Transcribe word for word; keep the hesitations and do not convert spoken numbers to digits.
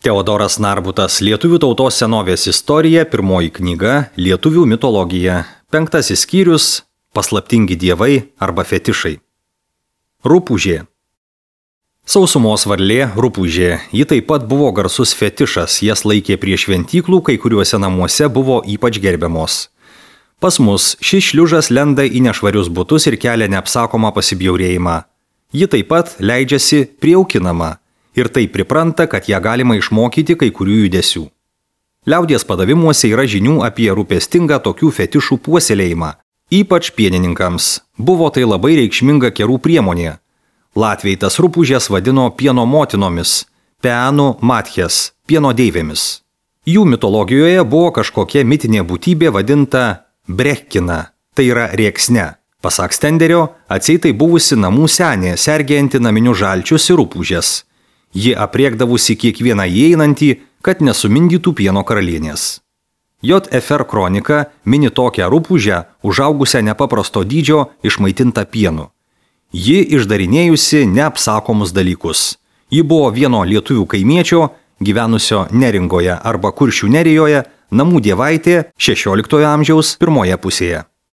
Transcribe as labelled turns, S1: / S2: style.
S1: Teodoras Narbutas, Lietuvių tautos senovės istorija, pirmoji knyga, Lietuvių mitologija, penktasis skyrius, paslaptingi dievai arba fetišai. Rupūžė. Sausumos varlė rupūžė, ji taip pat buvo garsus fetišas, jas laikė prie šventyklų, kai kuriuose namuose buvo ypač gerbiamos. Pas mus šis šliužas lenda į nešvarius butus ir kelia neapsakomą pasibjaurėjimą. Ji taip pat leidžiasi priaukinama. Ir taip pripranta, kad ją galima išmokyti kai kurių judesių. Liaudies padavimuose yra žinių apie rūpestingą tokių fetišų puoselėjimą, ypač pienininkams. Buvo tai labai reikšminga kerų priemonė. Latviai tas rupūžės vadino pieno motinomis, peanų matches, pieno deivėmis. Jų mitologijoje buvo kažkokia mitinė būtybė vadinta brechkina, tai yra rėksne. Pasak Stenderio, atseit tai buvusi namų senė, sergėjanti naminius žalčius ir rupūžės. Ji apriekdavusi kiekvieną įeinantį, kad nesumindytų pieno karalienės. J F R kronika mini tokią rupūžę, užaugusią nepaprasto dydžio, išmaitintą pienu. Ji išdarinėjusi neapsakomus dalykus. Ji buvo vieno lietuvių kaimiečio, gyvenusio Neringoje arba Kuršių nerijoje, namų dievaitė šešioliktojo amžiaus pirmoje pusėje.